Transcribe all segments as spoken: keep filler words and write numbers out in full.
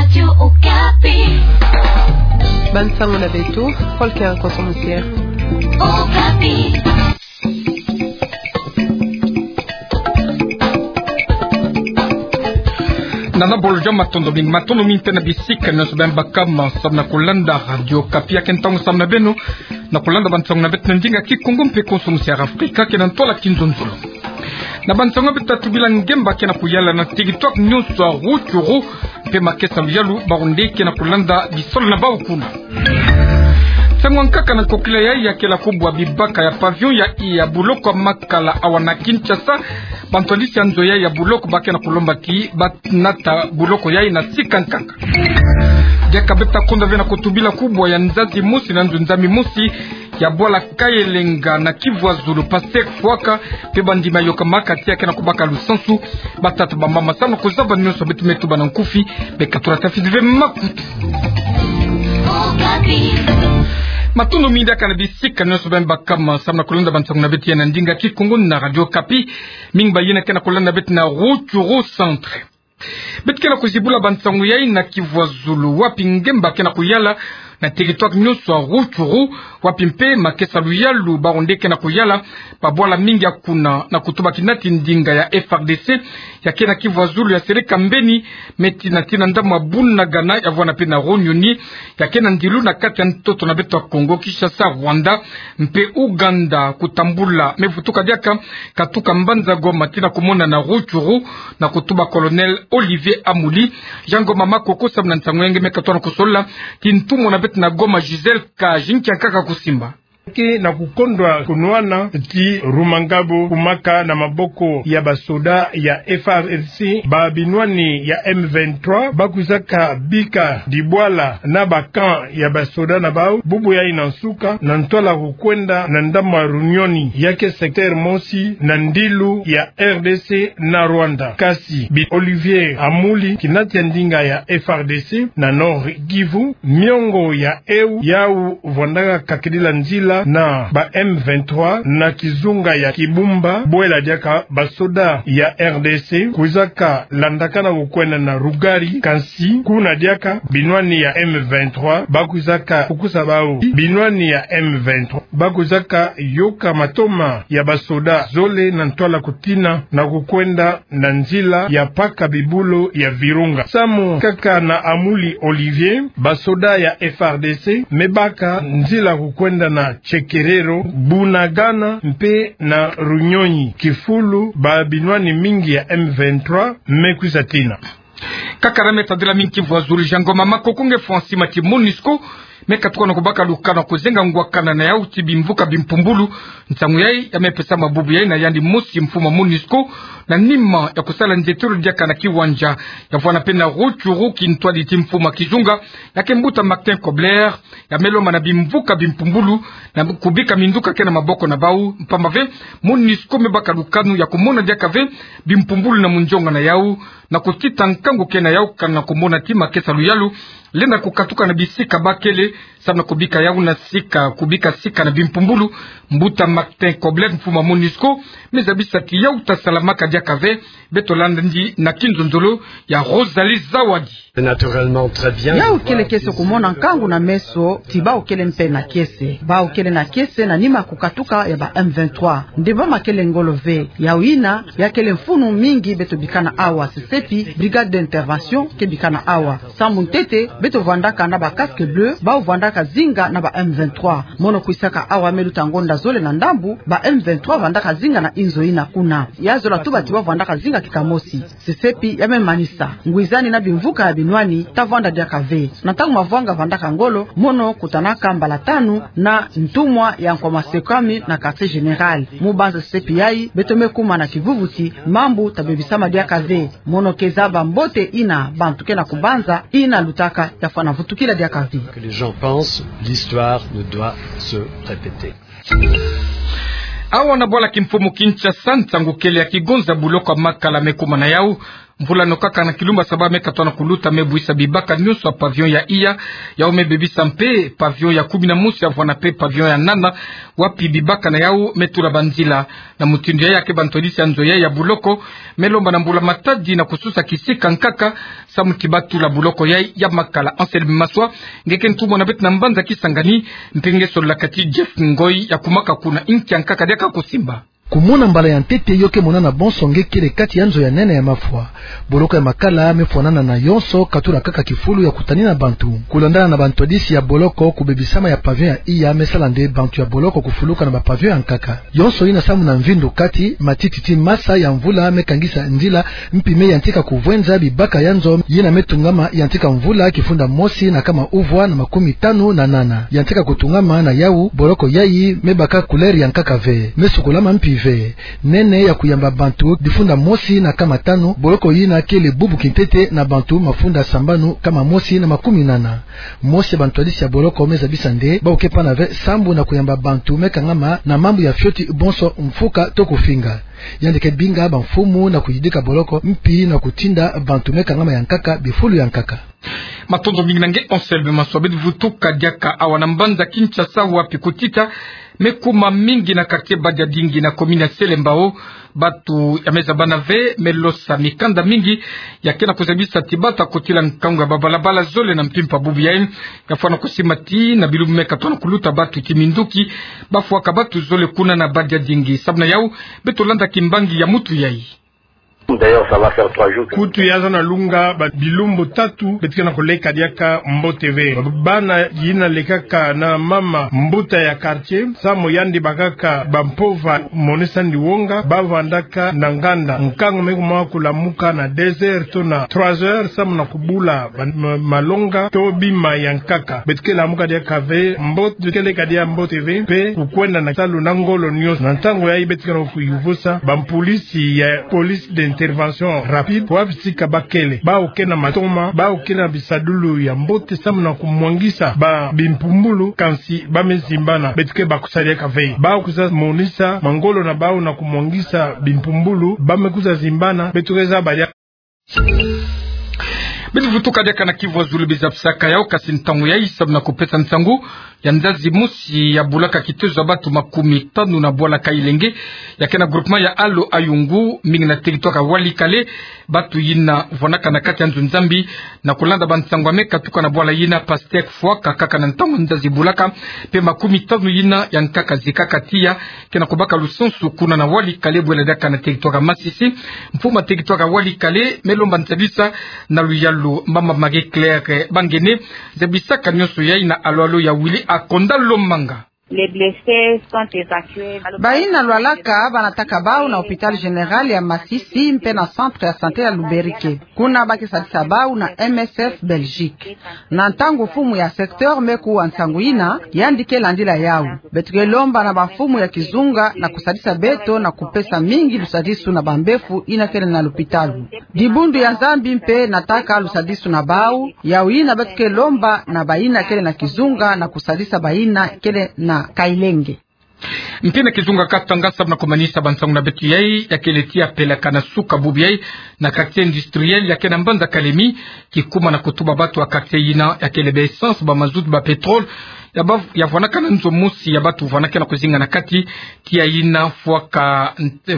Radio Okapi. Bansango na beto, Volker Nkoso Musier. Okapi. Nana bolo dia matondo mingi, matondo mingi tena bisika nyonso beno baka ma samu na kulanda Radio Okapi. Ya ke ntangu samu na beno na kulanda bansango na beto na ndinga Kikongo mpe Konso Musier Afrika, ke na ntwala Kinzonzolo. Na bansango beto ta tubila ngemba ke na kuyala na teritware nyonso ya Rutshuru mpe makesa luyalu, bawu nde ke na kulanda bisalu na bawu kuna. Nsangu ya nkaka na nkokila yayi ya kela kubwa bibaka ya pavillon ya, ya buloko ya Makala awa na Kinshasa. Bantwadisi ya nzo yayi ya buloko ba ke na kulomba ti ba nata buloko yayi na sika nkaka. Diaka beto ta konda ve na kutubila kubwa ya nzazi mosi na nzunzami mosi ya bwala Kayelenga na Kivu ya Zulu, Pasteur Fwaka, mpe bandima yokamaka ti ya ke na kubaka lusansu. Batata, bamama, samu na kuzaba nyonso beto me tuba na nkufi, beka tula tafidi ve makutu. Matondo mingi diaka na bisika nyonso beno baka ma samu na kulanda bansango na beto ya na ndinga Kikongo na Radio Okapi. Mingi ba yina ke na kulanda beto na Rutshuru Centre. Beto ke na kuzibula bansango yayi na Kivu ya Zulu, wapi ngemba ke na kuyala na teritware nyonso ya Rutshuru, wapi mpe makesa luyalu bawu nde ke na kuyala. Babwala mingi ya kuna na kutuba kinati ndinga ya F R D C ya ke na Kivu ya Zulu ya seleka mbeni, me tina tina ndambu ya Bunagana, ya vwanda mpe na Runyoni, ya ke na ndilu na kati ya ntoto na beto ya Kongo, Kinshasa, Rwanda mpe Ouganda. Kutambula me vutuka diaka, katuka mbanza Goma tina kumona na Rutshuru, na kutuba Colonel Olivier Amuli. Jean Ngoma Makoko samu na nsangu ya nge, me katono kusolola ti ntumwa na beto na Goma, Gisèle Kaji. Nkia nkaka kusimba? Ke na kukondwa kunwana ti Rumangabo kumaka na maboko ya basoda ya F R D C, babinwani ya M vingt-trois bakwizaka bika dibwala na ba camp ya basoda na bawu, bubu yayi na nsuka, na ntwala kukwenda na ndambu ya Runyoni, ya ke secteur mosi na ndilu ya R D C na Rwanda. Kasi bi Olivier Amuli, kinati ya ndinga ya F R D C na Nord Kivu, miongo ya eu yawu vwandaka kakidila nzila na ba M vingt-trois na kizunga ya Kibumba, bwela diaka basoda ya R D C kwizaka landakana kukwenda na Rugari. Kansi kuna diaka binwani ya M vingt-trois bakwizaka kukusa bawu. Binwani ya M vingt-trois bakwizaka yoka matoma ya basoda zole na ntwala kutina na kukwenda na nzila ya paka bibulu ya Virunga. Samu kaka na Amuli Olivier, basoda ya F R D C me baka nzila kukwenda na Chekerero, Bunagana mpe na Runyonyi, kifulu babinwani mingi ya M vingt-trois me kwiza tina. Kaka na me tadila mingi Kivu ya Zulu, Jean Ngoma Makoko, nge fwa nsima ti MONUSCO me katuka na kubaka lukanu ya kuzenga ngwakana na yawu ti bimvuka bimpumbulu. Nsangu yayi ya me pesama bubu yayi na yandi mosi mfumu ya MONUSCO, na nima ya kusala nzietolo diaka na kiwanja ya vwanda mpe na Rutshuru, kintwadi ti mfumu ya kizunga, ya ke mbuta Martin Kobler, ya me lomba na bimvuka bimpumbulu na kubika minduka ke na maboko na bawu, mpamba ve MONUSCO me baka lukanu ya kumona diaka ve bimpumbulu na munzonga na yawu, na kutita nkangu ke na yawu kana kumona ti makesa luyalu lenda kukatuka na bisika ba kele, samu na kubika yawu na sika, kubika sika na bimpumbulu. Mbuta Martin Kobler, mfumu ya MONUSCO, me zabisa ti yawu ta salamaka diaka ve. Beto landa ndi na kinzonzolo ya Rosalie Zawadi. Naturellement, très bien. Yawu kele kiese kumona nkangu na meso ti bawu kele mpe na kiese. Bawu kele na kiese na nima kukatuka ya ba M vingt-trois. Nde ba ma kele ngolo ve. Yawu yina ya kele mfunu mingi beto bikana awa, sesepi brigade d'intervention ke bikana awa. Samu ntete, beto vwandaka na ba casque bleu, bawu vwandaka zinga na ba M vingt-trois. Mono kwisaka awa me luta ngonda zole na ndambu, ba M vingt-trois vwandaka zinga na inzo yina kuna. Ya zola tuba ti ba vwandaka zinga kika mosi. Sesepi ya me manisa. Ngwizani na bimvuka ya binwani ta vwanda diaka ve. Na ntangu mavwanga vwandaka ngolo, mono kutanaka mbala tanu na ntumwa ya nkwa masekami na quartier général. Mu banza sesepi yayi, beto me kuma na kivuvu ti mambu ta bebisama diaka ve. Mono ke zaba mbote yina bantu ke na kubanza, yina lutaka ya fwana vutukila diaka ve. Que les gens pensent, l'histoire ne doit se répéter. Awa na bwala kimfumu Kinshasa, nsangu kele ya kigonza buloko ya Makala me kuma na yawu. Mvula nokaka na kilumba saba me katona kuluta me buisa bibaka nyonso ya pavillon ya iya, yau me bebisa mpe pavillon ya kumi na mosi ya vwanda mpe pavillon ya nana, wapi bibaka na yau me tula banzila. Na mutindu yayi, ya ke bantwadisi ya nzo yayi ya boloko me lomba na mbula-matadi na kususa kisika nkaka samu ti ba tula boloko yayi ya Makala. Anselme Maswa, nge ke ntumwa na beto na mbanza Kisangani, mpe nge solola kati Jeff Ngoy ya kumaka kuna inki ya nkaka diaka kusimba. Kumona mbala ya ntete yo ke monana bonso nge kele kati ya nzo ya nene ya mafwa. Boloko ya Makala me fwanana na yonso, katula kaka kifulu ya kutanina bantu. Kulandana na bantwadisi ya boloko, kubebisama ya pavillon ya iya me sala nde bantu ya boloko kufuluka na ba pavillon ya nkaka. Yonso yina samu na mvindu kati matiti ti masa ya mvula me kangisa nzila, mpi me yantika kuvwenza bibaka ya nzo yina me tungama yantika mvula kifunda mosi na kama uvwa na makumi tanu na nana. Yantika kutungama na yau, boloko yayi me baka couleur ya nkaka ve, me sukulama mpi ve. Nene ya kuyamba bantu difunda mosi na kama tanu, boloko yina kele bubu kintete na bantu mafunda sambanu kama mosi na makumi nana. Mosi ya bantwadisi ya boloko me zabisa nde bau ke pana ve sambu na kuyamba bantu me kangama na mambu ya fioti bonso mfuka to kufinga. Yandi ke binga bamfumu na kuyidika boloko mpi na kutinda bantu me kangama ya nkaka bifulu ya nkaka. Matondo mingi na nge Anselme Maswa. Beto vutuka diaka awa na mbanza Kinshasa, wapi kutita me kuma mingi na quartier Badiadingi na commune ya Selembao. Bantu ya me zabana ve, me losa mikanda mingi ya ke na kuzabisa ti bata kotila nkangu ya babalabala zole na mpimpa bubu yayi. Ya fwana kusimba ti na bilumbu me katona kuluta bantu kiminduki ba fwaka bantu zole kuna na Badiadingi. Samu na yau, beto landa kimbangi ya mutu yayi. D'ailleurs, ça va faire trois jours que... Kutu ya zana lunga ba bilumbu tatu beto ke na kuleka diaka mbote ve. Bana yina lekaka na mama mbuta ya quartier, samu yandi bakaka bampova monisa yandi wonga, ba vandaka na nganda. Nkangu me kuma kulamuka na deux heures to na trois heures, samu na kubula ba ma-, malonga to bima ya nkaka. Beto ke lamuka diaka ve mbote, beto ke leka diaka mbote ve, mpe kukwenda na salu na ngolo nyonso. Na ntangu yayi beto ke na kuyuvusa bampulisi ya police d'intervention rapide, wapi sika ba kele. Bau ke na matoma, bau ke na bisadulu ya mbote samu na kumwangisa ba bimpumbulu, kansi ba me zimbana. Beto ke bakusa diaka ve. Bau kwiza monisa mangolo na bau na kumwangisa bimpumbulu, ba me kwiza zimbana, beto ke zaba diaka. Beto vutuka diaka na Kivu ya Zulu, biza pisaka yau, kasi ntangu yayi samu na kupesa nsangu ya nzazi mosi ya bulaka kitezo ya bantu makumi tanu na bwala Kailenge, ya ke na groupement ya Alo Ayungu, mingi na territoire ya Walikale. Bantu yina vwanaka na kati ya nzo Nzambi, na kulanda bansangu ya me katuka na bwala yina, pastèque fwaka kaka na ntangu nzazi bulaka, mpe makumi tanu yina ya nkaka zikaka tiya, ke na kubaka lusansu kuna na Walikale, bwela diaka na territoire ya Masisi. Mfumu ya territoire ya Walikale me lomba nzabisa na luyalu. Mama Marie Claire Bangene, nzabisaka nyonso yayi na alo-alo ya Willy Akonda Lomanga. Les blessés sont évacués. Bayina lwalaka ba nataka bau na hôpital général ya Masisi mpe na centre ya santé ya Luberique. Kuna ba ke sadisa bau na M S F Belgique. Na ntangu mfumu ya secteur me kuwa nsangu yina, yandi ke landila yau. Beto ke lomba na bamfumu ya kizunga na kusadisa beto na kupesa mingi lusadisu na bambefu yina kele na lupitalu. Dibundu ya Nzambi mpe nataka lusadisu na bau, yau yina beto ke lomba na bayina kele na kizunga na kusadisa bayina kele na Kailenge. Mpe na kizunga Katanga, samu na kumanisa bansangu na beto yayi, ya kele ti ya pelaka na suka bubu yayi na quartier industriel ya ke na mbanza Kalemi, kikuma na kutuba bantu ya quartier yina, ya kele ba essence, ba mazout, ba pétrole, ya ba, ya vwanaka na nzo mosi ya bantu vwanaka na kuzinga na kati, tiya yina fwaka,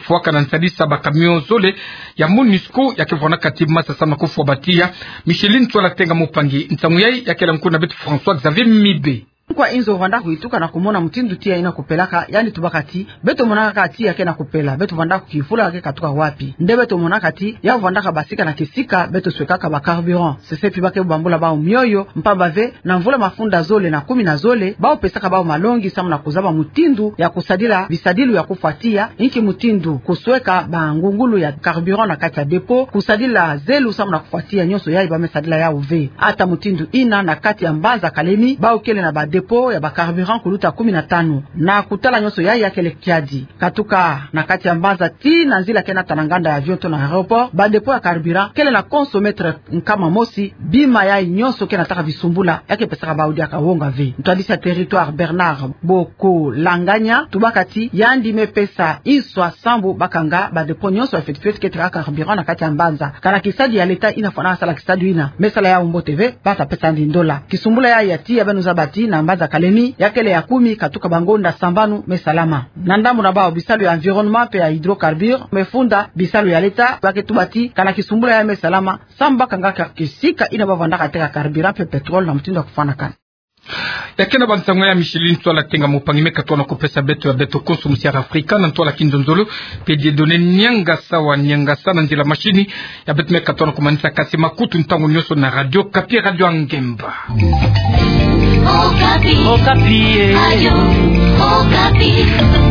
fwaka na nsadisa ba camion zole ya MONUSCO ya ke vwanaka ti masa samu na kufwa ba tiya. Micheline Tswala Tenga Mupangi, nsangu yayi ya kele nkuna beto François Xavier Mibe. Kwa inzo vwanda kuyituka na kumona mutindu tiya yina kupelaka, yandi tubaka ti, beto monaka kaka tiya ke na kupela, beto vwanda kukifula ke katuka wapi? Nde beto monaka ti, ya vwandaka basika na kisika, beto swekaka ba carburant. Sesepi ba ke bambula bau mioyo, mpamba ve, na mvula mafunda zole na kumi na zole, bau pesaka bau malongi samu na kuzaba mutindu ya kusadila bisadilu ya kufwa tiya, inki mutindu kusweka bangungulu ya carburant na kati ya dépôt, kusadila zelu samu na kufwa tiya, nyonso yayi ba me sadila yau ve. Ata mutindu yina na kati ya mbanza Kalemi, bau kele na ba dépôt Po ya ba carburant kuluta kumi na tanu. Na kutala nyonso yayi ya kele kiadi. Katuka na kati ya mbanza tii na nzila ke nata na nganda ya avion to na aéroport, ba dépôt ya carburant kele na consommer nkama mosi bima yayi nyonso ke nataka bisumbula ya ke pesaka bawu diaka wonga ve. Ntwadisi ya territoire Bernard Bokolanganya tubaka ti yandi me pesa inswa sambu bakanga ba dépôt nyonso ya feti feti ke teka carburant na kati ya mbanza. Kana kisadi ya leta ina fwana sala kisadi ina, me sala yawu mbote ve, ba ta pesa yandi ndola. Kisumbula yayi ya tii ya beno zaba ti na mbanza Kalemi ya kele ya kumi katuka bangonda sambanu me salama. Na ndambu na bawu, bisalu ya environnement mpe ya hydrocarbures me funda bisalu ya leta, ba ke tuba ti kana kisumbula yayi me salama sambu bakanga ka kisika ina ba vandaka teka carburant mpe pétrole na mutindu ya kufwanakana. Ya kena ba nsangu ya Micheline, ntwala tenga mopangi me katuana kupesa beto ya beto konso musiara Afrika na ntwala kinzonzolo, mpe Dieudonné Niangasa wa Niangasa na nzila mashini. Ya beto me katuana kumanisa kasi makutu ntangu nyonso na Radio Okapi, Radio ya Ngemba. Okapi. Okapi, eh. Radio Okapi.